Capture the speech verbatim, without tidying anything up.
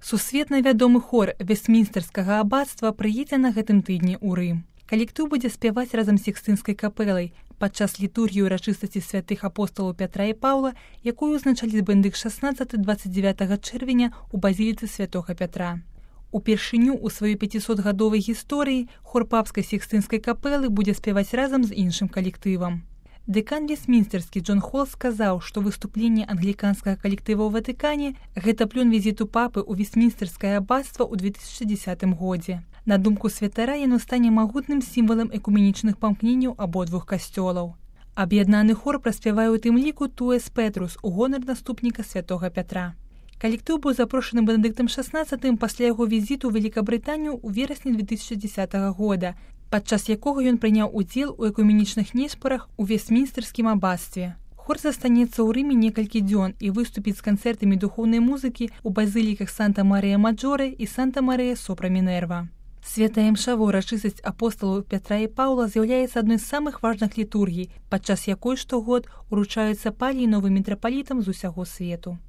Сусветна вядомы хор Вестмінстэрскага абацтва прыедзе на гэтым тыдні ў Рым. Калектыў будзе спяваць разам з Сікстынскай капэлай падчас літургіі ўрачыстасці святых апосталаў Пятра і Паўла, якую узначаліць бэндык шаснаццатага - дваццаць дзявятага чэрвеня ў базіліцы святога Пятра. Упершыню ў сваёй пяцісотгадовай гісторыі хор папскай Сікстынскай капэлы будзе спяваць разам з іншым калектывам. Дэкан Вестмінстэрскі Джон Холл сказаў, што выступленне англіканскага калектыва ў Ватыкане – гэта плён візіту папы ў Вестмінстэрскае абацтва ў две тысячы дзесятым годзе. На думку святара, яно стане магутным сімвалам экуменічных памкненняў абодвух касцёлаў. Аб'яднаны хор праспявае ў тым ліку «Туэс Петрус» у гонар наступніка святога Пятра. Калектыў быў запрошаны Бенедыктам шаснаццатым пасля яго візіту ў Великабрытанію ў верасні две тысячы дзесятага года, падчас якога ён прыняў удзел у экуменічных неспарах у Вестмінстэрскім абацтве. Хор застанецца ў Рыме некалькі дзён і выступіць з канцэртамі духоўнай музыкі ў базыліках Санта-Марыя-Маджоре і Санта-Марыя-Сопра-Мінерва. Святая імша ва ўрачыстасць апосталаў Пятра і Паўла з'яўляецца адной з самых важных літургій, падчас якой штогод уручаюцца паліі новым мітрапалітам з усяго свету.